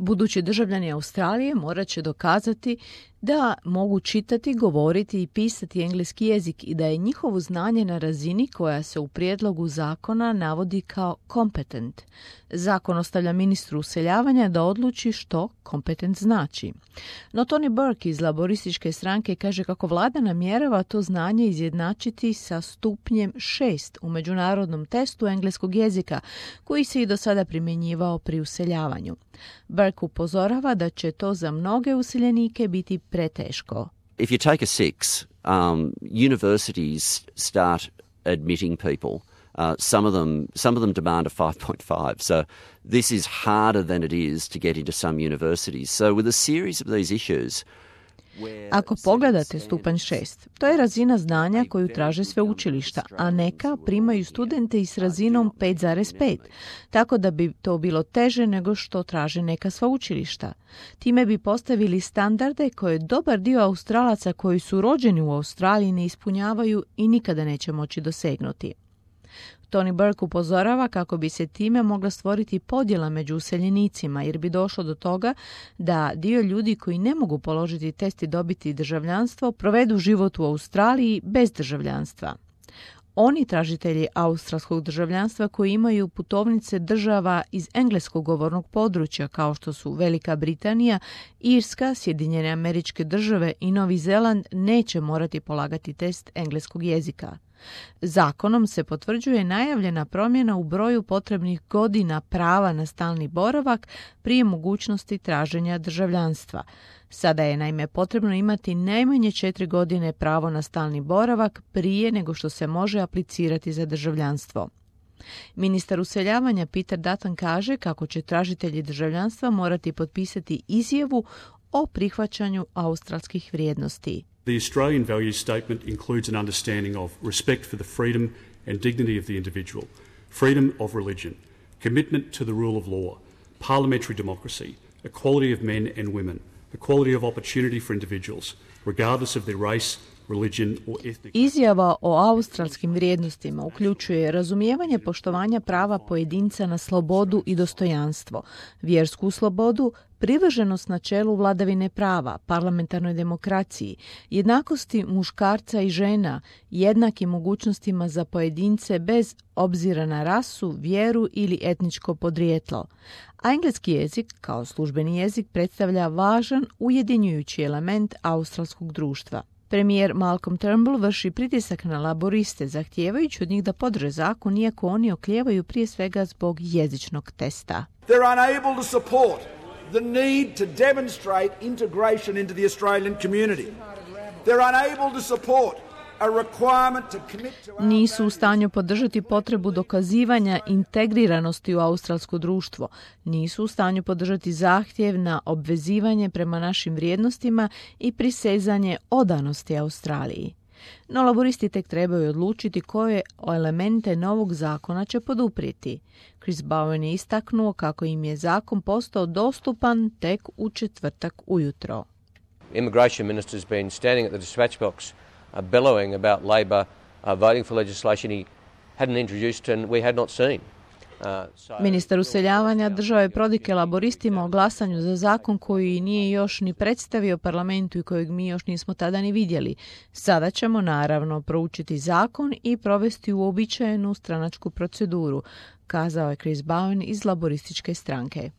Budući državljani Australije morat će dokazati da mogu čitati, govoriti i pisati engleski jezik i da je njihovo znanje na razini koja se u prijedlogu zakona navodi kao competent. Zakon ostavlja ministru useljavanja da odluči što competent znači. No Tony Burke iz laborističke stranke kaže kako vlada namjerava to znanje izjednačiti sa stupnjem 6 u međunarodnom testu engleskog jezika koji se i do sada primjenjivao pri useljavanju. Burke upozorava da će to za mnoge useljenike biti preteško. If you take a 6, universities start admitting people. Some of them demand a 5.5. So this is harder than it is to get into some universities. So with a series of these issues, ako pogledate stupanj 6, to je razina znanja koju traže sveučilišta, a neka primaju studente i s razinom 5,5, tako da bi to bilo teže nego što traže neka sveučilišta. Time bi postavili standarde koje dobar dio Australaca koji su rođeni u Australiji ne ispunjavaju i nikada neće moći dosegnuti. Tony Burke upozorava kako bi se time mogla stvoriti podjela među useljenicima jer bi došlo do toga da dio ljudi koji ne mogu položiti test i dobiti državljanstvo provedu život u Australiji bez državljanstva. Oni tražitelji australskog državljanstva koji imaju putovnice država iz engleskog govornog područja kao što su Velika Britanija, Irska, Sjedinjene Američke Države i Novi Zeland neće morati polagati test engleskog jezika. Zakonom se potvrđuje najavljena promjena u broju potrebnih godina prava na stalni boravak prije mogućnosti traženja državljanstva. Sada je naime potrebno imati najmanje 4 godine pravo na stalni boravak prije nego što se može aplicirati za državljanstvo. Ministar useljavanja Peter Dutton kaže kako će tražitelji državljanstva morati potpisati izjavu o prihvaćanju australskih vrijednosti. The Australian values statement includes an understanding of respect for the freedom and dignity of the individual, freedom of religion, commitment to the rule of law, parliamentary democracy, equality of men and women, equality of opportunity for individuals, regardless of their race, religion or ethnic. Izjava o australskim vrijednostima uključuje razumijevanje poštovanja prava pojedinca na slobodu i dostojanstvo, vjersku slobodu, privrženost načelu vladavine prava, parlamentarnoj demokraciji, jednakosti muškarca i žena, jednakim mogućnostima za pojedince bez obzira na rasu, vjeru ili etničko podrijetlo. A engleski jezik, kao službeni jezik, predstavlja važan ujedinjujući element australskog društva. Premijer Malcolm Turnbull vrši pritisak na laboriste, zahtijevajući od njih da podrže zakon, iako oni oklijevaju prije svega zbog jezičnog testa. They're unable to support the need to demonstrate integration into the Australian community. They're unable to support a requirement to commit to... Nisu u stanju podržati potrebu dokazivanja integriranosti u australsko društvo. Nisu u stanju podržati zahtjev na obvezivanje prema našim vrijednostima i prisezanje odanosti Australiji. No laboristi tek trebaju odlučiti koje elemente novog zakona će poduprijeti. Chris Bowen je istaknuo kako im je zakon postao dostupan tek u četvrtak ujutro. Immigration minister has been standing at the dispatch box bellowing about Labor voting for legislation he hadn't introduced and we had not seen. Ministar useljavanja držao je prodike laboristima o glasanju za zakon koji nije još ni predstavio parlamentu i kojeg mi još nismo tada ni vidjeli. Sada ćemo naravno proučiti zakon i provesti uobičajenu stranačku proceduru, kazao je Chris Bowen iz laborističke stranke.